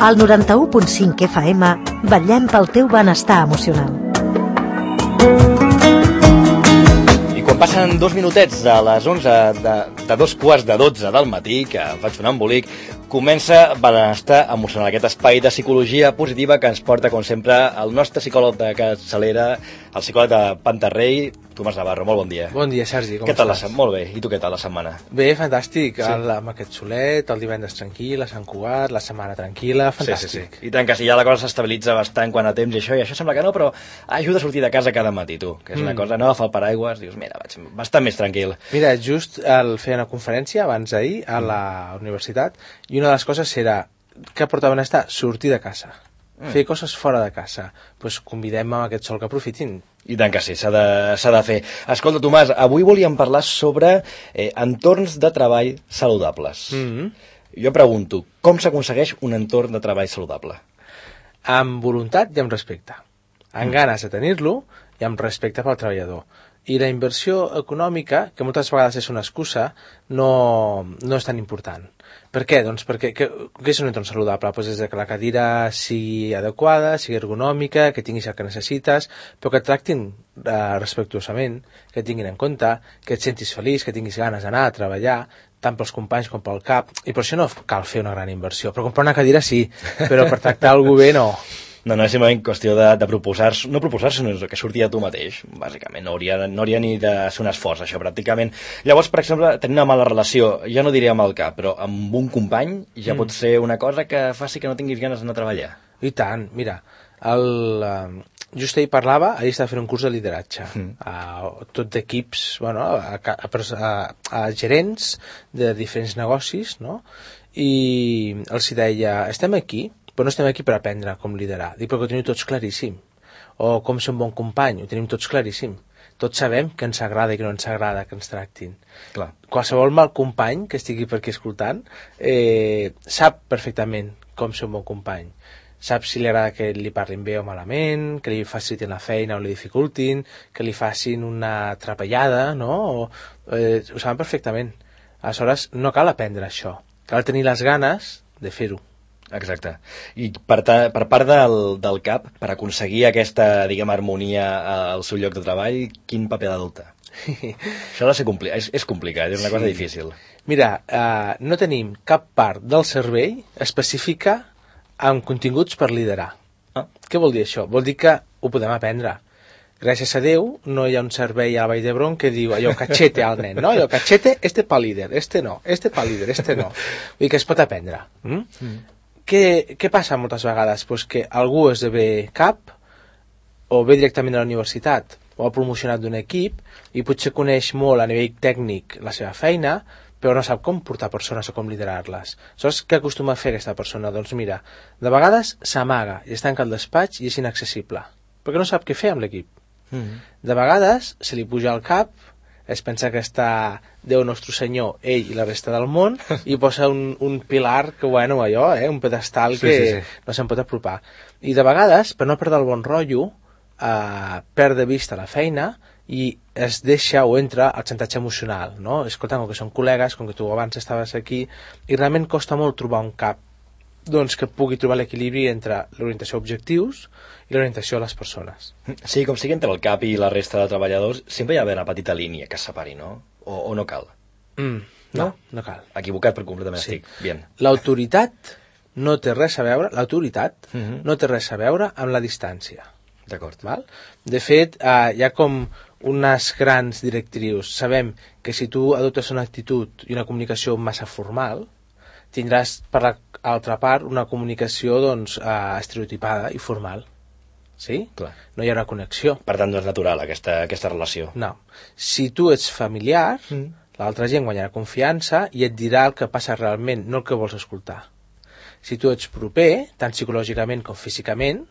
Al 91.5 FM vetllem pel teu benestar emocional. I quan passen 2 minutets de les 11 de 2:45 del matí, que em faig un embolic, comença Benestar Emocional, aquest espai de psicologia positiva que ens porta, com sempre, el nostre psicòleg de capçalera, el psicòleg de Pantarrei, Tomàs Navarro. Molt bon dia. Bon dia, Sergi, com estàs? Què tal estàs? Molt bé. I tu què tal la setmana? Bé, fantàstic. Sí. Amb aquest solet, el divendres tranquil, a Sant Cugat, la setmana tranquil·la, fantàstic. Sí. I tant que sí, ja la cosa s'estabilitza bastant quan a temps i això sembla que no, però ajuda a sortir de casa cada matí, tu, que és una cosa, no agafar el paraigües, dius, mira, vaig bastant més tranquil. Mira, just feia una conferència abans d'ahir a la universitat i una de les coses era que porta benestar sortir de casa, fer coses fora de casa. Doncs convidem a aquest sol que aprofitin. I tant que sí, s'ha de fer. Escolta, Tomàs, avui volíem parlar sobre entorns de treball saludables. Jo pregunto, com s'aconsegueix un entorn de treball saludable? Amb voluntat i amb respecte. Amb ganes de tenir-lo i amb respecte pel treballador. I la inversió econòmica, que moltes vegades és una excusa, no és tan important. Per què? Doncs perquè què és un entorn saludable? Pues des de que la cadira sigui adequada, sigui ergonòmica, que tinguis el que necessites, però que et tractin respectuosament, que et tinguin en compte, que et sentis feliç, que tinguis ganes d'anar a treballar, tant pels companys com pel cap. I per això no cal fer una gran inversió. Per comprar una cadira sí, però per tractar algú bé no. No, és simplement qüestió de proposar-se, no proposar-se, sinó que surti de tu mateix, bàsicament. No hauria ni de ser un esforç, això, pràcticament. Llavors, per exemple, tenir una mala relació, ja no diré amb el cap, però amb un company ja pot ser una cosa que faci que no tinguis ganes d'anar a treballar. I tant, mira, just ahir parlava, ahir estava fent un curs de lideratge, tot d'equips, bueno, a gerents de diferents negocis, no? I els deia, estem aquí, però no estem aquí per aprendre com liderar. Dic, perquè ho tenim tots claríssim. O com ser un bon company, ho tenim tots claríssim. Tots sabem que ens agrada i que no ens agrada que ens tractin. Clar. Qualsevol mal company que estigui per aquí escoltant sap perfectament com ser un bon company. Sap si li agrada que li parlin bé o malament, que li facilitin la feina o li dificultin, que li facin una atrapallada, no? Ho saben perfectament. Aleshores, no cal aprendre això. Cal tenir les ganes de fer-ho. Exacte. I per part del cap, per aconseguir aquesta, diguem, harmonia al seu lloc de treball, quin paper ha d'adoptar? Això ha de ser és complicat, és una cosa difícil. Mira, no tenim cap part del cervell específica amb continguts per liderar. Què vol dir això? Vol dir que ho podem aprendre. Gràcies a Déu, no hi ha un servei a la Vall d'Hebron que diu allò cachete al nen, no? Allò cachete, este pa líder, este no, este pa líder, este no. Vull dir que es pot aprendre. Què passa moltes vegades? Pues que algú esdevé cap o ve directament a la universitat o ha promocionat d'un equip i potser coneix molt a nivell tècnic la seva feina, però no sap com portar persones o com liderar-les. Saps què acostuma a fer aquesta persona? Doncs mira, de vegades s'amaga i es tanca al despatx i és inaccessible, perquè no sap què fer amb l'equip. De vegades se li puja al cap, es pensa que està Déu Nostre Senyor, ell i la resta del món, i posa un pilar que, bueno, allò, un pedestal que no se'n pot apropar. I de vegades, per no perdre el bon rotllo, perd de vista la feina i es deixa o entra al xantatge emocional, no? Escolta, com que són col·legues, com que tu abans estaves aquí, i realment costa molt trobar un cap doncs que pugui trobar l'equilibri entre l'orientació a objectius i l'orientació a les persones. Sí, com sigui entre el cap i la resta de treballadors, sempre hi ha una petita línia que separi, no? O no cal? No cal. Equivocat per completament estic. Bien. L'autoritat no té res a veure, no té res a veure amb la distància. D'acord. Val? De fet, hi ha com unes grans directrius. Sabem que si tu adoptes una actitud i una comunicació massa formal, tindràs per l'altra part una comunicació estereotipada i formal. Sí? Clar. No hi haurà connexió. Per tant, no és natural aquesta relació. No. Si tu ets familiar, l'altra gent guanyarà confiança i et dirà el que passa realment, no el que vols escoltar. Si tu ets proper, tant psicològicament com físicament,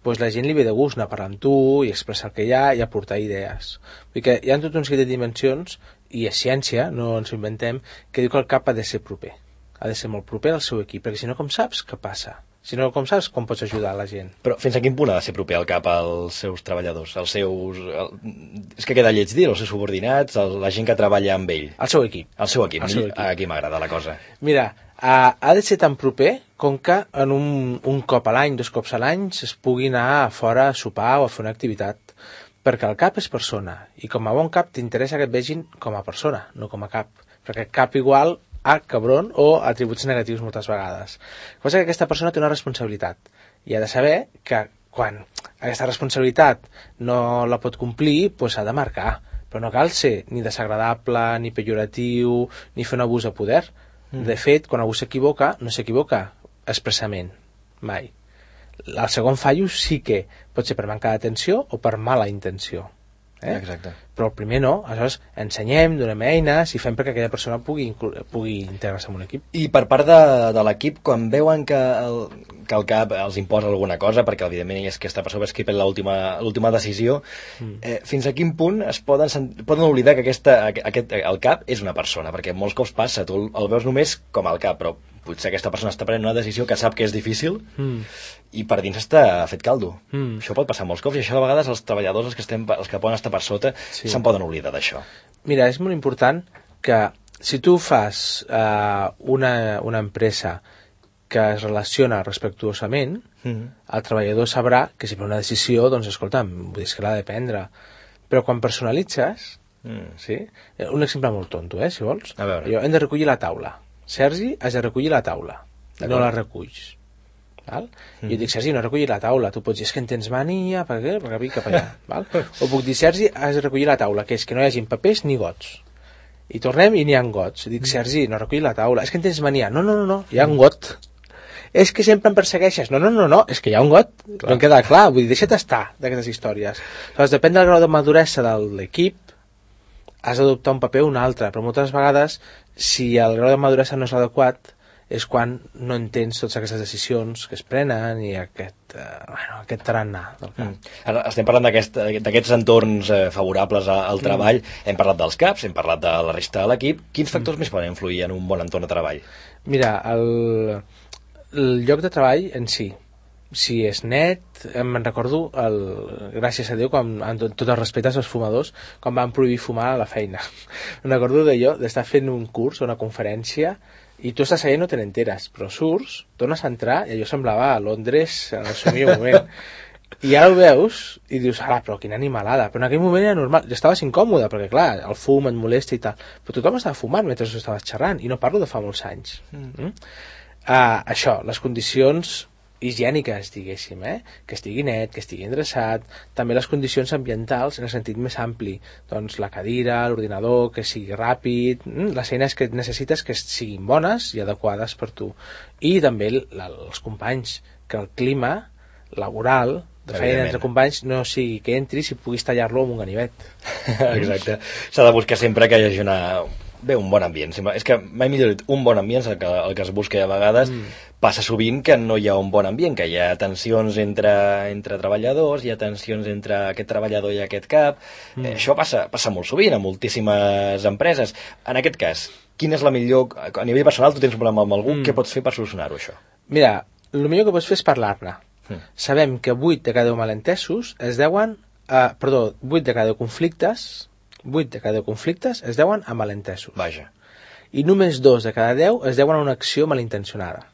doncs la gent li ve de gust anar a parlar amb tu i expressar el que hi ha i aportar idees. Vull dir que hi ha tot un seguit de dimensions, i és ciència, no ens ho inventem, que diu que el cap ha de ser proper. Ha de ser molt proper al seu equip, perquè si no, com saps què passa? Si no, com saps com pots ajudar la gent? Però fins a quin punt ha de ser proper el cap als seus treballadors? És que queda lleig dir, els seus subordinats, la gent que treballa amb ell? Al seu equip. Al seu equip. Aquí m'agrada la cosa. Mira, ha de ser tan proper com que en un cop a l'any, 2 cops a l'any, es pugui anar a fora a sopar o a fer una activitat. Perquè el cap és persona, i com a bon cap t'interessa que et vegin com a persona, no com a cap. Perquè cap igual a cabron o atributs negatius moltes vegades. El que passa és que aquesta persona té una responsabilitat, i ha de saber que quan aquesta responsabilitat no la pot complir, doncs s'ha de marcar. Però no cal ser ni desagradable, ni pejoratiu, ni fer un abús de poder. De fet, quan algú s'equivoca, no s'equivoca expressament, mai. El segon fallo sí que pot ser per manca d'atenció o per mala intenció. Exacte. Però el primer no. Aleshores ensenyem, donem eines i fem perquè aquella persona pugui integrar-se en un equip. I per part de l'equip, quan veuen que el cap els imposa alguna cosa, perquè evidentment és aquesta persona que pren l'última decisió, fins a quin punt es poden oblidar que el cap és una persona? Perquè molts cops passa, tu el veus només com el cap, però potser aquesta persona està prenent una decisió que sap que és difícil i per dins està fet caldo. Això pot passar molts cops, i això a vegades els treballadors, els que poden estar per sota, se'n poden oblidar d'això. Mira, és molt important que si tu fas una empresa que es relaciona respectuosament, el treballador sabrà que si pren una decisió, doncs escolta'm, vull dir que l'ha de prendre. Però quan personalitzes, sí? Un exemple molt tonto, si vols. Jo hem de recollir la taula. Sergi, has de recollir la taula. No la reculls. Val? Jo dic, Sergi, no recollir la taula. Tu pots dir, és que en tens mania, per què? Perquè vinc cap allà. Val? O puc dir, Sergi, has de recollir la taula, que és que no hi hagi papers ni gots. I tornem i n'hi ha gots. Dic, Sergi, no recollir la taula. És que en tens mania. No, hi ha un got. És que sempre em persegueixes. No, és que hi ha un got. No em queda clar. Vull dir, deixa't estar d'aquestes històries. Llavors, depèn del grau de maduresa de l'equip, has d'adoptar un paper o un altre, però moltes vegades, si el grau de maduresa no és adequat, és quan no entens totes aquestes decisions que es prenen i aquest tarannà del cap. Ara estem parlant d'aquests entorns favorables al treball. Hem parlat dels caps, hem parlat de la resta de l'equip. Quins factors més poden influir en un bon entorn de treball? Mira, el lloc de treball en si és net, me'n recordo, gràcies a Déu, amb tot el respecte als fumadors, quan van prohibir fumar a la feina. Me'n recordo d'estar fent un curs o una conferència i tu estàs allà i no te n'enteres, però surts, tornes a entrar i allò semblava a Londres en el seu millor moment. I ara ho veus i dius, però quina animalada, però en aquell moment era normal, estaves incòmode perquè clar, el fum et molesta i tal, però tothom estava fumant mentre estaves xerrant, i no parlo de fa molts anys. Això, les condicions higièniques, diguéssim, que estigui net, que estigui endreçat, també les condicions ambientals en el sentit més ampli, doncs la cadira, l'ordinador, que sigui ràpid, les eines que necessites que siguin bones i adequades per tu, i també els companys, que el clima laboral de feina entre companys no sigui que entris i puguis tallar-lo amb un ganivet. Exacte, s'ha de buscar sempre que hi hagi un bon ambient. És que mai millor dit, un bon ambient és el que es busca a vegades. Passa sovint que no hi ha un bon ambient, que hi ha tensions entre treballadors, hi ha tensions entre aquest treballador i aquest cap. Això passa molt sovint a moltíssimes empreses. En aquest cas, quina és la millor... A nivell personal, tu tens un problema amb algú, què pots fer per solucionar-ho, això? Mira, el millor que pots fer és parlar-ne. Sabem que 8 de cada 10 malentesos es deuen... 8 de cada 10 conflictes... 8 de cada 10 conflictes es deuen a malentesos. Vaja. I només 2 de cada 10 es deuen a una acció malintencionada.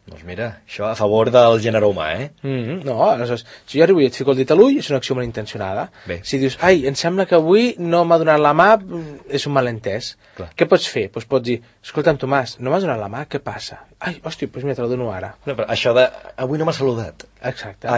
Doncs mira, això a favor del gènere humà, No, aleshores, si jo arribo i et fico el dit a l'ull, és una acció malintencionada. Si dius, em sembla que avui no m'ha donat la mà, és un malentès. Clar. Què pots fer? Doncs pots dir, escolta'm, Tomàs, no m'has donat la mà, què passa? Hòstia, doncs mira, te la dono ara. No, però això de, avui no m'ha saludat. Exacte.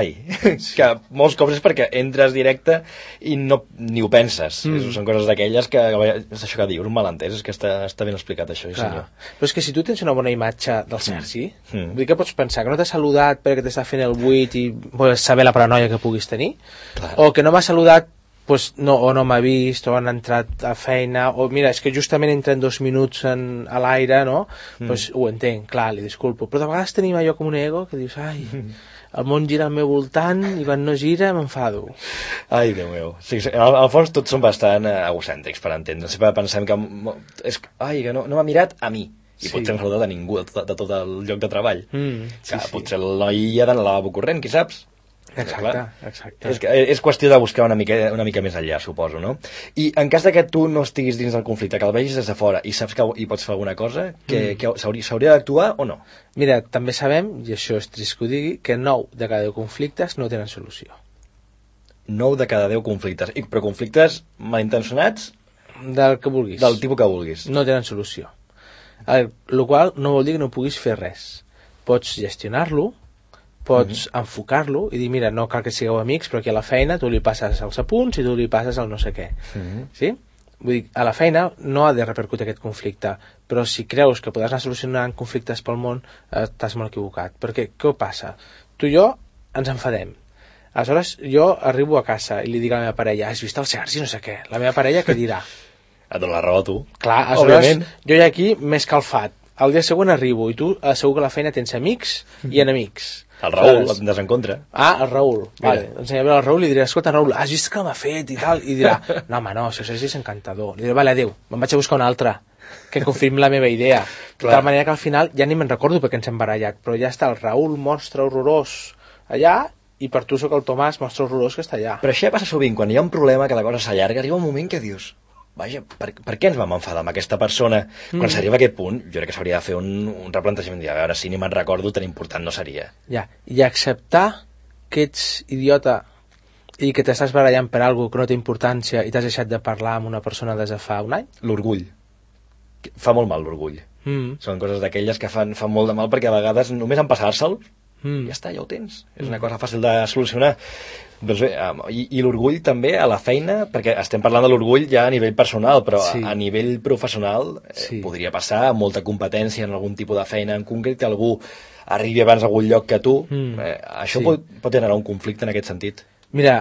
Que molts cops és perquè entres directe i ni ho penses. Són coses d'aquelles que, és això que dius, un malentès, és que està ben explicat això, senyor. Però és que si tu tens una bona imatge del Sergi, vull dir que pots pensar que no t'ha saludat perquè t'està fent el buit i vols saber la paranoia que puguis tenir, o que no m'ha saludat o no m'ha vist, o han entrat a feina, o mira, és que justament entren 2 minuts a l'aire, no? Doncs ho entenc, clar, li disculpo. Però de vegades tenim allò com un ego que dius, el món gira al meu voltant i quan no gira m'enfado. Ai, Déu meu. Sí, al fons tots són bastant egocèntrics, per entendre. Sempre pensem que no m'ha mirat a mi. I potser no saludat a ningú de tot el lloc de treball. Que potser el noi ja ha d'anar al lavabo corrent, qui saps? Exacte. És qüestió de buscar una mica més enllà, suposo, no? I en cas de que tu no estiguis dins del conflicte, que el vegis des de fora i saps que hi pots fer alguna cosa, que s'hauria d'actuar o no? Mira, també sabem, i això és trist que ho digui, que 9 de cada 10 conflictes no tenen solució. 9 de cada 10 conflictes. Però conflictes malintencionats? Del que vulguis. Del tipus que vulguis. No tenen solució. El qual no vol dir que no puguis fer res. Pots gestionar-lo, pots enfocar-lo i dir, mira, no cal que sigueu amics, però aquí a la feina tu li passes els apunts i tu li passes el no sé què. Sí? Vull dir, a la feina no ha de repercutir aquest conflicte, però si creus que podràs anar solucionant conflictes pel món, t'has molt equivocat. Perquè què passa? Tu i jo ens enfadem. Aleshores, jo arribo a casa i li dic a la meva parella, has vist el Sergi, no sé què. La meva parella què dirà? Et dona la raó a tu. Clar, aleshores, jo ja aquí m'he escalfat. El dia següent arribo i tu segur que a la feina tens amics i enemics. El Raül, et desencontra. El Raül. Vale. Doncs aniré a veure el Raül i li diré, escolta, Raül, has vist que m'ha fet i tal? I dirà, no, home, no, si Sergi és encantador. Li diré, vale, adéu, me'n vaig a buscar un altre que confirmi la meva idea. De tal manera que al final ja ni me'n recordo perquè ens hem barallat, però ja està el Raül, monstre horrorós, allà, i per tu sóc el Tomàs, monstre horrorós, que està allà. Però això ja passa sovint, quan hi ha un problema que la cosa s'allarga, arriba un moment que dius, vaja, per què ens vam enfadar amb aquesta persona? Quan s'arriba a aquest punt, jo crec que s'hauria de fer un replantejament, a veure, si ni me'n recordo, tan important no seria. Ja, i acceptar que ets idiota i que t'estàs barallant per alguna que no té importància i t'has deixat de parlar amb una persona des de fa un any? L'orgull. Fa molt mal l'orgull. Són coses d'aquelles que fan molt de mal perquè a vegades només en passar-se'l ja està, ja ho tens. És una cosa fàcil de solucionar. Doncs bé, i l'orgull també a la feina, perquè estem parlant de l'orgull ja a nivell personal, però a nivell professional podria passar molta competència en algun tipus de feina en concret, que algú arribi abans a algun lloc que tu. Això pot generar un conflicte en aquest sentit. Mira,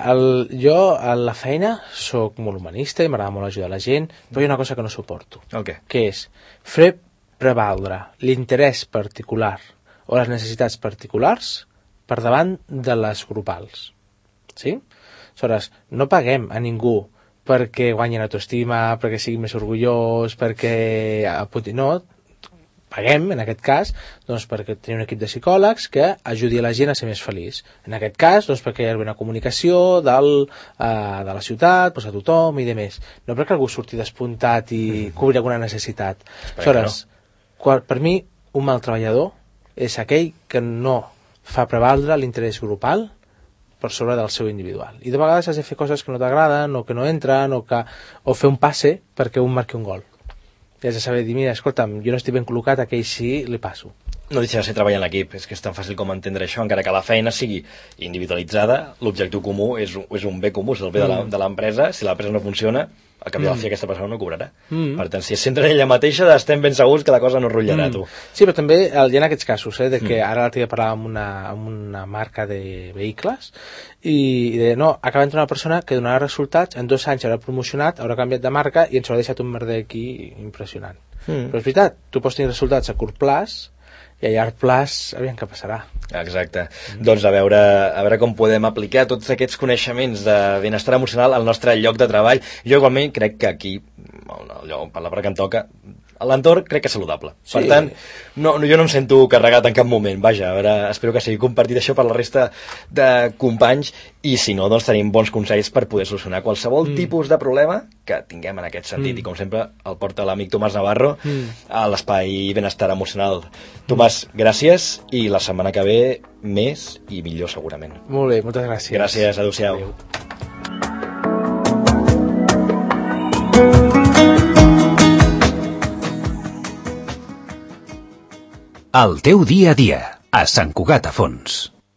jo a la feina sóc molt humanista i m'agrada molt ajudar la gent, però hi ha una cosa que no suporto, que és fer prevaldre l'interès particular o les necessitats particulars per davant de les grupals. Sí? Aleshores, no paguem a ningú perquè guanyi autoestima, perquè sigui més orgullós, perquè... No, paguem, en aquest cas, doncs, perquè tenim un equip de psicòlegs que ajudi a la gent a ser més feliç. En aquest cas, doncs, perquè hi ha una comunicació de la ciutat, doncs, a tothom i demés. No perquè algú surti despuntat i cobri alguna necessitat. Aleshores, per mi, un mal treballador és aquell que no fa prevaldre l'interès grupal per sobre del seu individual. I de vegades has de fer coses que no t'agraden o que no entren o fer un passe perquè un marqui un gol. I has de saber dir, mira, escolta'm, jo no estic ben col·locat, aquell sí, li passo. No deixa de ser treballar en l'equip, és que és tan fàcil com entendre això, encara que la feina sigui individualitzada, l'objectiu comú és un bé comú, és el bé de l'empresa. Si l'empresa no funciona, al cap de la fi aquesta persona no cobrarà. Per tant, si es centra en ella mateixa, estem ben segurs que la cosa no rotllarà, tu. Sí, però també hi ha aquests casos, de que ara l'altre dia parlàvem amb una marca de vehicles i deia, no, acaba d'entrar una persona que donarà resultats, en 2 anys haurà promocionat, haurà canviat de marca i ens haurà deixat un merder aquí impressionant. Però és veritat, tu pots tenir resultats a curt plaç i a llarg plaç, aviam què passarà. Exacte. Doncs a veure com podem aplicar tots aquests coneixements de benestar emocional al nostre lloc de treball. Jo igualment crec que aquí, per la part que em toca, l'entorn crec que és saludable. Per tant, jo no em sento carregat en cap moment. Vaja, a veure, espero que sigui compartit això per la resta de companys i si no, doncs tenim bons consells per poder solucionar qualsevol tipus de problema que tinguem en aquest sentit. I com sempre, el porta l'amic Tomàs Navarro a l'espai Benestar Emocional. Tomàs, gràcies i la setmana que ve més i millor segurament. Molt bé, moltes gràcies. Gràcies, adéu-siau. Adéu. El teu dia a dia, a Sant Cugat a Fons.